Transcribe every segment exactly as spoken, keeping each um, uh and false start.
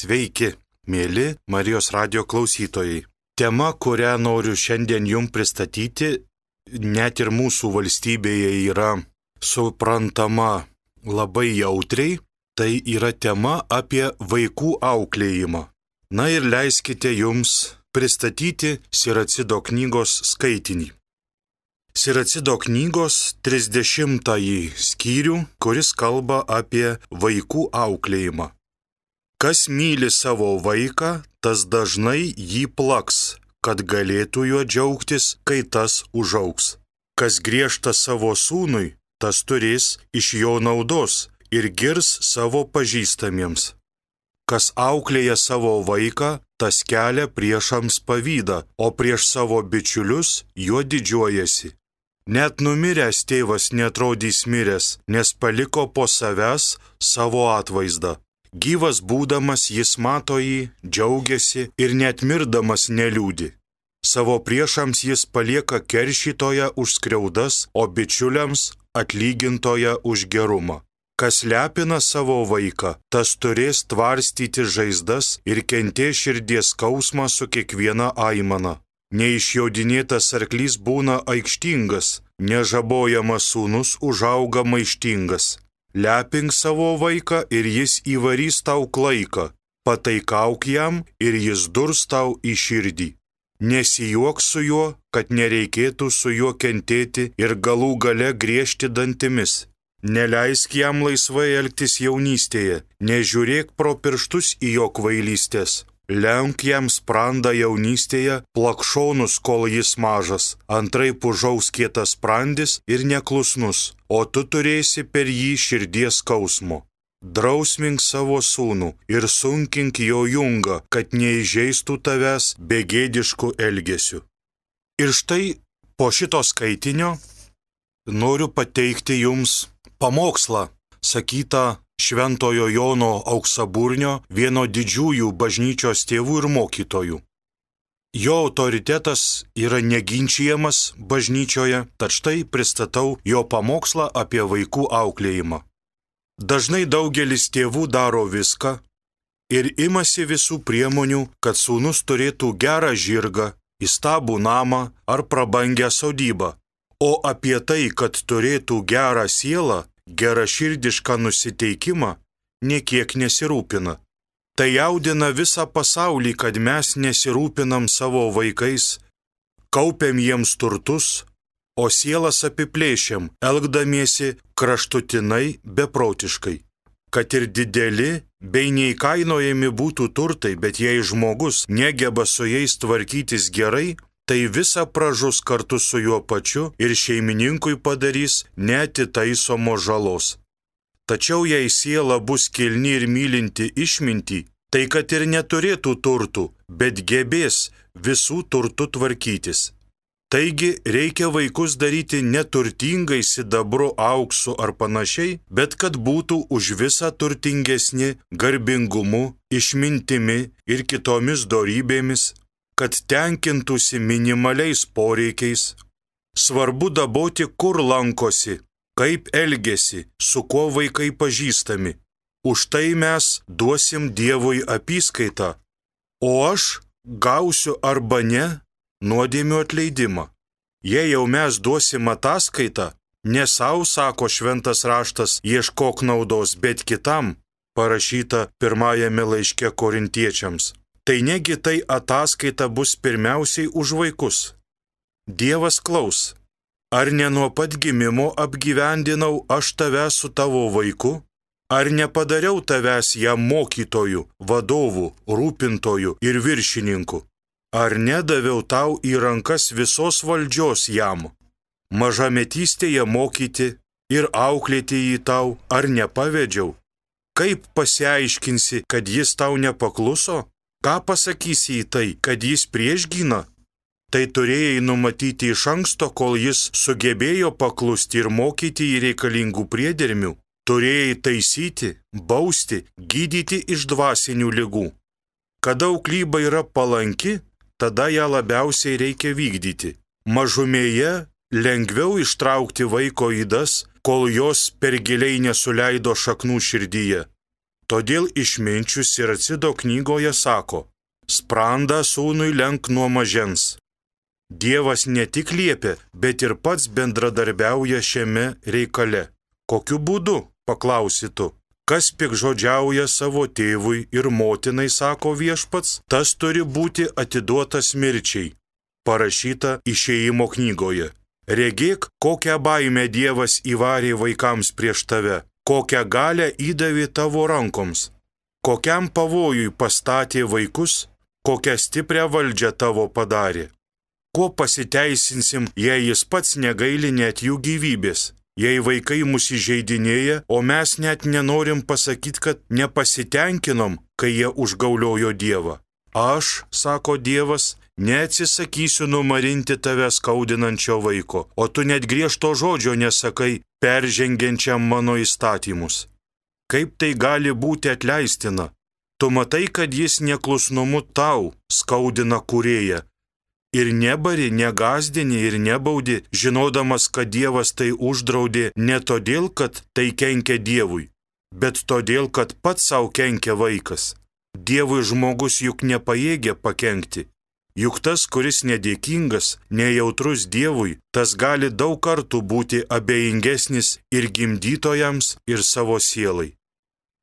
Sveiki, mėly Marijos radijo klausytojai. Tema, kurią noriu šiandien jums pristatyti, net ir mūsų valstybėje yra suprantama labai jautriai, tai yra tema apie vaikų auklėjimą. Na ir leiskite jums pristatyti Siracido knygos skaitinį. Siracido knygos trisdešimtąjį skyrių, kuris kalba apie vaikų auklėjimą. Kas myli savo vaiką, tas dažnai jį plaks, kad galėtų juo džiaugtis, kai tas užaugs. Kas griežta savo sūnui, tas turės iš jo naudos ir girs savo pažįstamiems. Kas auklėja savo vaiką, tas kelia priešams pavydą, o prieš savo bičiulius juo didžiuojasi. Net numiręs tėvas netrodys miręs, nes paliko po savęs savo atvaizdą. Gyvas būdamas jis mato jį, džiaugiasi ir net mirdamas neliūdi. Savo priešams jis palieka keršytoją už skriaudas, o bičiuliams atlygintoją už gerumą. Kas lepina savo vaiką, tas turės tvarstyti žaizdas ir kentės širdies skausmą su kiekviena aimana. Neišjaudinėtas arklys būna aikštingas, nežabojamas sūnus užauga maištingas. Lepink savo vaiką ir jis įvarys tau klaiką, pataikauk jam ir jis durs tau į širdį. Nesijuok su juo, kad nereikėtų su juo kentėti ir galų gale griežti dantimis. Neleisk jam laisvai elgtis jaunystėje, nežiūrėk pro pirštus į jo kvailystės. Lenk jam sprandą jaunystėje, plakšonus, kol jis mažas, antraip užaus kietas sprandis ir neklusnus, o tu turėsi per jį širdies skausmo. Drausmink savo sūnų ir sunkink jo jungą, kad neįžeistų tavęs begėdiškų elgesių. Ir štai po šito skaitinio noriu pateikti jums pamokslą, sakytą Šventojo Jono Auksaburnio, vieno didžiųjų bažnyčios tėvų ir mokytojų. Jo autoritetas yra neginčijamas bažnyčioje, tad štai pristatau jo pamokslą apie vaikų auklėjimą. Dažnai daugelis tėvų daro viską ir imasi visų priemonių, kad sūnus turėtų gerą žirgą, įstabų namą ar prabangią sodybą, o apie tai, kad turėtų gerą sielą, geraširdišką nusiteikimą, niekiek nesirūpina. Tai jaudina visą pasaulį, kad mes nesirūpinam savo vaikais, kaupiam jiems turtus, o sielas apiplėšiam, elgdamiesi kraštutinai beprotiškai. Kad ir dideli bei neįkainojami būtų turtai, bet jei žmogus negeba su jais tvarkytis gerai, tai visa pražus kartu su juo pačiu ir šeimininkui padarys neatitaisomo žalos. Tačiau jei siela bus kilni ir mylinti išmintį, tai kad ir neturėtų turtų, bet gebės visų turtų tvarkytis. Taigi reikia vaikus daryti neturtingai sidabru, auksu ar panašiai, bet kad būtų už visą turtingesni garbingumu, išmintimi ir kitomis dorybėmis, kad tenkintųsi minimaliais poreikiais. Svarbu daboti, kur lankosi, kaip elgesi, su kuo vaikai pažįstami. Už tai mes duosim Dievui apyskaitą, o aš gausiu arba ne nuodėmių atleidimą. Jei jau mes duosim ataskaitą, ne sau, sako šventas raštas, ieškok naudos, bet kitam, parašyta pirmajame laiške korintiečiams. Tai negi tai ataskaita bus pirmiausiai už vaikus. Dievas klaus, ar ne nuo pat gimimo apgyvendinau aš tave su tavo vaiku, ar nepadariau tavęs jam mokytojų, vadovų, rūpintojų ir viršininkų, ar nedaviau tau į rankas visos valdžios jam, mažametystėje mokyti ir auklėti jį tau, ar nepavedžiau? Kaip pasiaiškinsi, kad jis tau nepakluso? Ką pasakysi į tai, kad jis priešgyna? Tai turėjai numatyti iš anksto, kol jis sugebėjo paklusti ir mokyti į reikalingų priedermių. Turėjai taisyti, bausti, gydyti iš dvasinių ligų. Kada auklyba yra palanki, tada ją labiausiai reikia vykdyti. Mažumėje lengviau ištraukti vaiko ydas, kol jos per giliai nesuleido šaknų širdyje. Todėl išminčius Siracido knygoje sako, sprandą sūnui lenk nuo mažens. Dievas ne tik liepia, bet ir pats bendradarbiauja šiame reikale. Kokiu būdu, paklausi tu? Kas piktžodžiauja savo tėvui ir motinai, sako viešpats, tas turi būti atiduotas mirčiai. Parašyta Išėjimo knygoje. Regėk, kokią baimę Dievas įvarė vaikams prieš tave, kokią galią įdavė tavo rankoms, kokiam pavojui pastatė vaikus, kokią stiprią valdžią tavo padarė. Kuo pasiteisinsim, jei jis pats negaili net jų gyvybės, jei vaikai mus įžeidinėja, o mes net nenorim pasakyti, kad nepasitenkinom, kai jie užgauliojo Dievą. Aš, sako Dievas, neatsisakysiu numarinti tave skaudinančio vaiko, o tu net griežto žodžio nesakai peržengiančiam mano įstatymus. Kaip tai gali būti atleistina? Tu matai, kad jis neklusnumu tau skaudina kūrėją. Ir nebari, negazdini ir nebaudi, žinodamas, kad Dievas tai uždraudė ne todėl, kad tai kenkia Dievui, bet todėl, kad pats savo kenkia vaikas. Dievui žmogus juk nepajėgia pakenkti. Juk tas, kuris nedėkingas, nejautrus Dievui, tas gali daug kartų būti abejingesnis ir gimdytojams, ir savo sielai.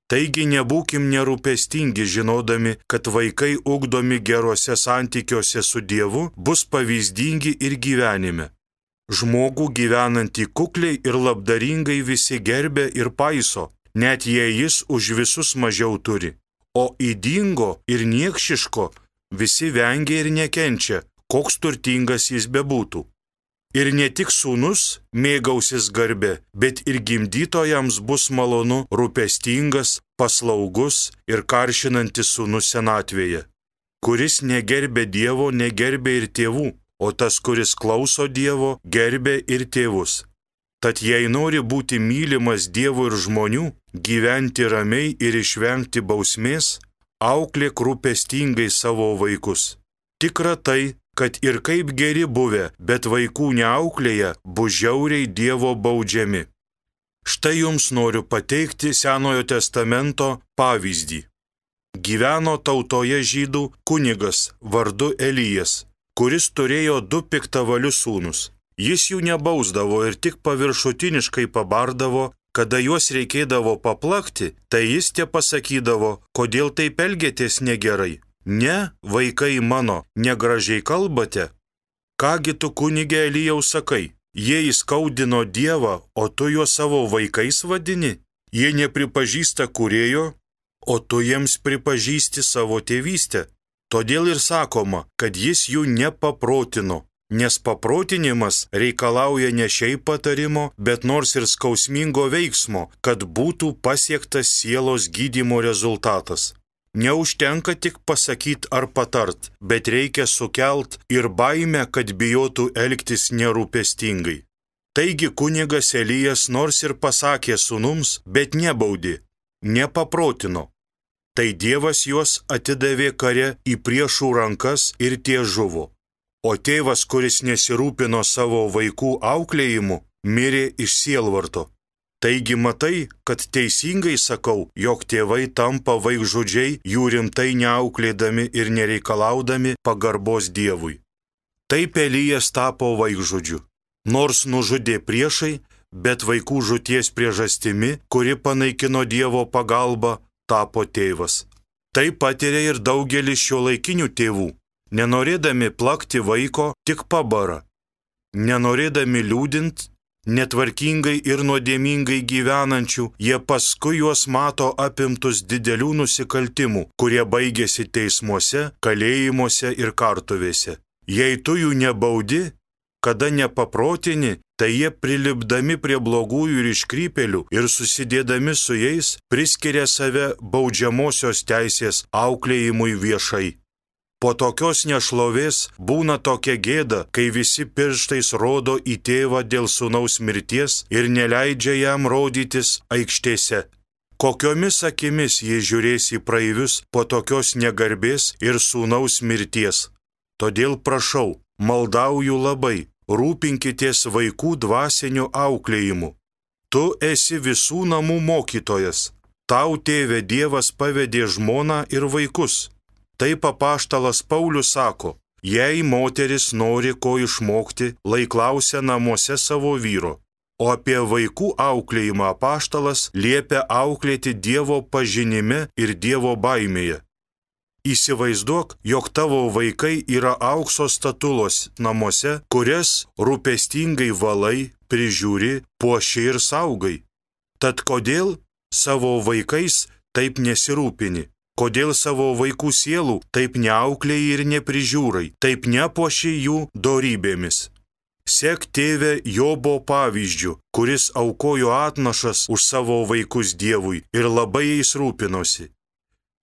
Taigi nebūkim nerūpestingi, žinodami, kad vaikai ugdomi geruose santykiuose su Dievu bus pavyzdingi ir gyvenime. Žmogų gyvenantį kukliai ir labdaringai visi gerbė ir paiso, net jei jis už visus mažiau turi. O ydingo ir niekšiško visi vengia ir nekenčia, koks turtingas jis bebūtų. Ir ne tik sūnus mėgausis garbė, bet ir gimdytojams bus malonu rūpestingas, paslaugus ir karšinantis sūnus senatvėje. Kuris negerbė Dievo, negerbė ir tėvų, o tas, kuris klauso Dievo, gerbė ir tėvus. Tad jei nori būti mylimas Dievo ir žmonių, gyventi ramiai ir išvengti bausmės, auklėk rūpestingai savo vaikus. Tikra tai, kad ir kaip geri buvę, bet vaikų neauklėja, bus žiauriai Dievo baudžiami. Štai jums noriu pateikti Senojo testamento pavyzdį. Gyveno tautoje žydų kunigas vardu Elijas, kuris turėjo du piktavalius sūnus. Jis jų nebausdavo ir tik paviršutiniškai pabardavo, kada juos reikėdavo paplakti, tai jis tie pasakydavo, kodėl taip elgiatės negerai. Ne, vaikai mano, negražiai kalbate. Kągi tu kunige Elijau sakai, jie įskaudino Dievą, o tu juos savo vaikais vadini? Jie nepripažįsta kūrėjo, o tu jiems pripažįsti savo tėvystę. Todėl ir sakoma, kad jis jų nepaprotino, nes paprotinimas reikalauja ne šiaip patarimo, bet nors ir skausmingo veiksmo, kad būtų pasiektas sielos gydymo rezultatas. Neužtenka tik pasakyti ar patart, bet reikia sukelt ir baimę, kad bijotų elgtis nerūpestingai. Taigi kunigas Elijas nors ir pasakė sūnums, bet nebaudė, nepaprotino. Tai Dievas juos atidavė kare į priešų rankas ir tie žuvo. O tėvas, kuris nesirūpino savo vaikų auklėjimu, mirė iš sielvarto. Taigi matai, kad teisingai sakau, jog tėvai tampa vaikžudžiai, jų rimtai neauklėdami ir nereikalaudami pagarbos Dievui. Taip Elijas tapo vaikžudžiu. Nors nužudė priešai, bet vaikų žūties priežastimi, kuri panaikino Dievo pagalbą, tapo tėvas. Tai patiria ir daugelis šiuolaikinių tėvų. Nenorėdami plakti vaiko, tik pabara. Nenorėdami liūdint, netvarkingai ir nuodėmingai gyvenančių, jie paskui juos mato apimtus didelių nusikaltimų, kurie baigėsi teismuose, kalėjimuose ir kartuvėse. Jei tu jų nebaudi, kada nepaprotini, tai jie prilipdami prie blogųjų ir iškrypėlių ir susidėdami su jais priskiria save baudžiamosios teisės auklėjimui viešai. Po tokios nešlovės būna tokia gėda, kai visi pirštais rodo į tėvą dėl sūnaus mirties ir neleidžia jam rodytis aikštėse. Kokiomis akimis jie žiūrės į praeivius po tokios negarbės ir sūnaus mirties. Todėl prašau, maldauju labai, rūpinkitės vaikų dvasiniu auklėjimu. Tu esi visų namų mokytojas. Tau, tėve, Dievas pavedė žmoną ir vaikus. Taip apaštalas Paulius sako, jei moteris nori ko išmokti, lai klausia namuose savo vyro. O apie vaikų auklėjimą apaštalas liepia auklėti Dievo pažinime ir Dievo baimėje. Įsivaizduok, jog tavo vaikai yra aukso statulos namuose, kurias rūpestingai valai, prižiūri, puoši ir saugai. Tad kodėl savo vaikais taip nesirūpini? Kodėl savo vaikų sielų taip neauklėjai ir neprižiūrai, taip nepuoši jų dorybėmis? Sek tėve Jobo pavyzdžiu, kuris aukojo atnašas už savo vaikus Dievui ir labai jais rūpinosi.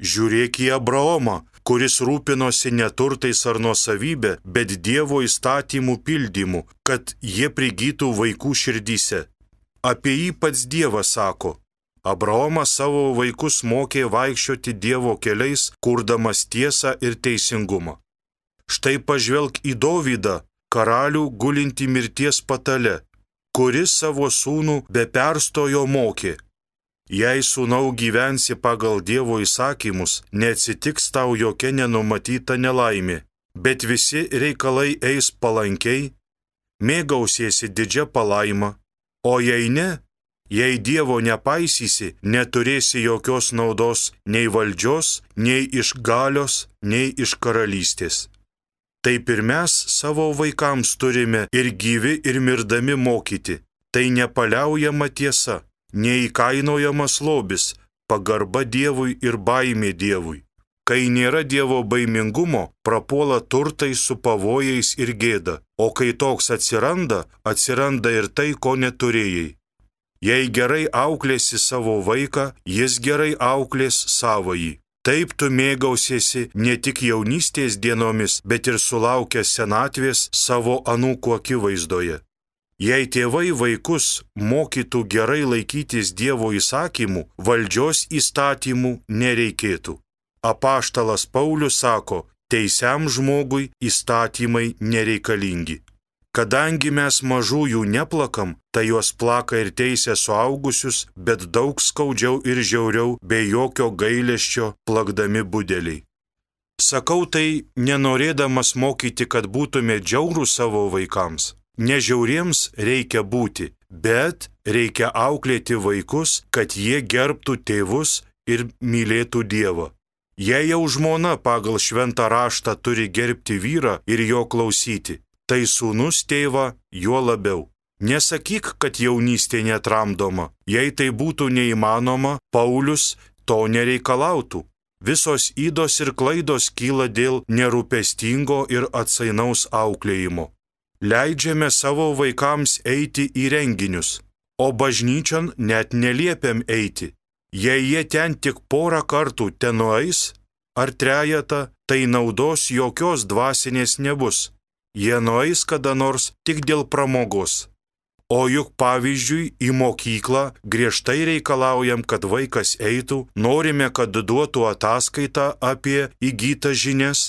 Žiūrėk į Abraomą, kuris rūpinosi ne turtais ar nuosavybė, bet Dievo įstatymų pildymu, kad jie prigytų vaikų širdyse. Apie jį pats Dievas sako, Abraomas savo vaikus mokė vaikščioti Dievo keliais, kurdamas tiesą ir teisingumą. Štai pažvelk į Dovydą, karalių gulinti mirties patale, kuris savo sūnų be perstojo mokė. Jei sūnau gyvensi pagal Dievo įsakymus, neatsitiks tau jokia nenumatyta nelaimė, bet visi reikalai eis palankiai, mėgausiesi didžia palaima, o jei ne, jei Dievo nepaisysi, neturėsi jokios naudos nei valdžios, nei iš galios, nei iš karalystės. Taip ir mes savo vaikams turime ir gyvi ir mirdami mokyti. Tai nepaliaujama tiesa, neįkainojamas lobis, pagarba Dievui ir baimė Dievui. Kai nėra Dievo baimingumo, prapuola turtai su pavojais ir gėda, o kai toks atsiranda, atsiranda ir tai, ko neturėjai. Jei gerai auklėsi savo vaiką, jis gerai auklės savąjį. Taip tu mėgausiesi ne tik jaunystės dienomis, bet ir sulaukęs senatvės savo anūkų akivaizdoje. Jei tėvai vaikus mokytų gerai laikytis Dievo įsakymų, valdžios įstatymų nereikėtų. Apaštalas Paulius sako, teisiam žmogui įstatymai nereikalingi. Kadangi mes mažųjų neplakam, tai juos plaka ir teisia suaugusius, bet daug skaudžiau ir žiauriau, be jokio gailesčio plakdami budeliai. Sakau tai nenorėdamas mokyti, kad būtume džiaurūs savo vaikams. Nežiauriems reikia būti, bet reikia auklėti vaikus, kad jie gerbtų tėvus ir mylėtų Dievą. Jei jau žmona pagal šventą raštą turi gerbti vyrą ir jo klausyti, tai sūnus tėvą juo labiau. Nesakyk, kad jaunystė netramdoma. Jei tai būtų neįmanoma, Paulius to nereikalautų. Visos ydos ir klaidos kyla dėl nerūpestingo ir atsainaus auklėjimo. Leidžiame savo vaikams eiti į renginius, o bažnyčion net neliepiam eiti. Jei jie ten tik porą kartų tenueis ar trejetą, tai naudos jokios dvasinės nebus. Jie nueis kada nors tik dėl pramogos. O juk pavyzdžiui į mokyklą griežtai reikalaujam, kad vaikas eitų, norime, kad duotų ataskaitą apie įgytas žinias.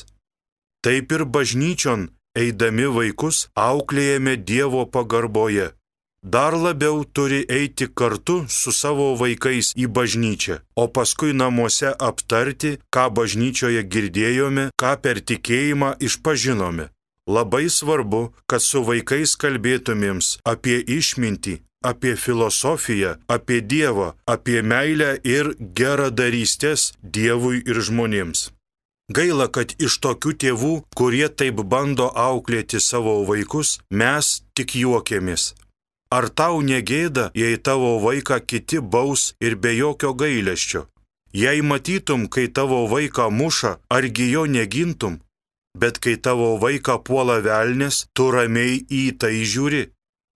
Taip ir bažnyčion, eidami vaikus, auklėjame Dievo pagarboje. Dar labiau turi eiti kartu su savo vaikais į bažnyčią, o paskui namuose aptarti, ką bažnyčioje girdėjome, ką per tikėjimą išpažinome. Labai svarbu, kad su vaikais kalbėtumėms apie išmintį, apie filosofiją, apie Dievą, apie meilę ir geradarystės Dievui ir žmonėms. Gaila, kad iš tokių tėvų, kurie taip bando auklėti savo vaikus, mes tik juokiamės. Ar tau negėda, jei tavo vaiką kiti baus ir be jokio gailesčio? Jei matytum, kai tavo vaiką muša, argi jo negintum? Bet kai tavo vaiką puola velnias, tu ramiai į tai žiūri.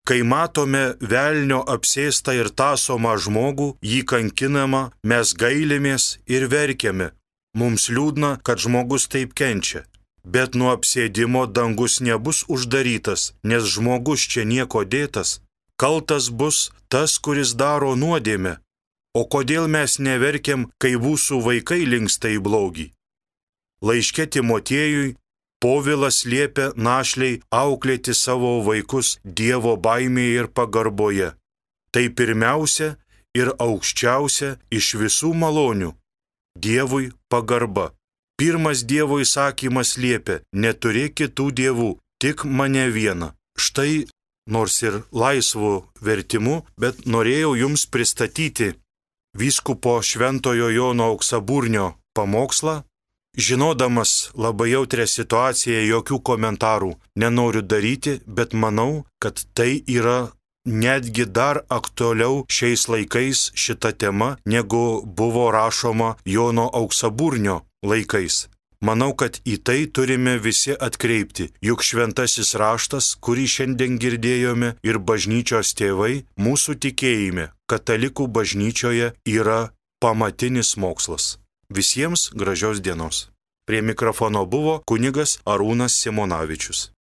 Kai matome velnio apsėstą ir tąsomą žmogų, jį kankinamą, mes gailimės ir verkiame. Mums liūdna, kad žmogus taip kenčia. Bet nuo apsėdimo dangus nebus uždarytas, nes žmogus čia nieko dėtas. Kaltas bus tas, kuris daro nuodėmę. O kodėl mes neverkiam, kai mūsų vaikai linksta į blogį? Laiške Timotiejui Povilas liepia našliai auklėti savo vaikus Dievo baimėje ir pagarboje. Tai pirmiausia ir aukščiausia iš visų malonių - Dievui pagarba. Pirmas Dievo įsakymas liepia: neturėk kitų dievų, tik mane vieną. Štai, nors ir laisvu vertimu, bet norėjau jums pristatyti vyskupo Šventojo Jono Auksaburnio pamokslą. Žinodamas labai jautrią situaciją, jokių komentarų nenoriu daryti, bet manau, kad tai yra netgi dar aktualiau šiais laikais šita tema, negu buvo rašoma Jono Auksaburnio laikais. Manau, kad į tai turime visi atkreipti, juk šventasis raštas, kurį šiandien girdėjome, ir bažnyčios tėvai mūsų tikėjime, katalikų bažnyčioje, yra pamatinis mokslas. Visiems gražios dienos. Prie mikrofono buvo kunigas Arūnas Simonavičius.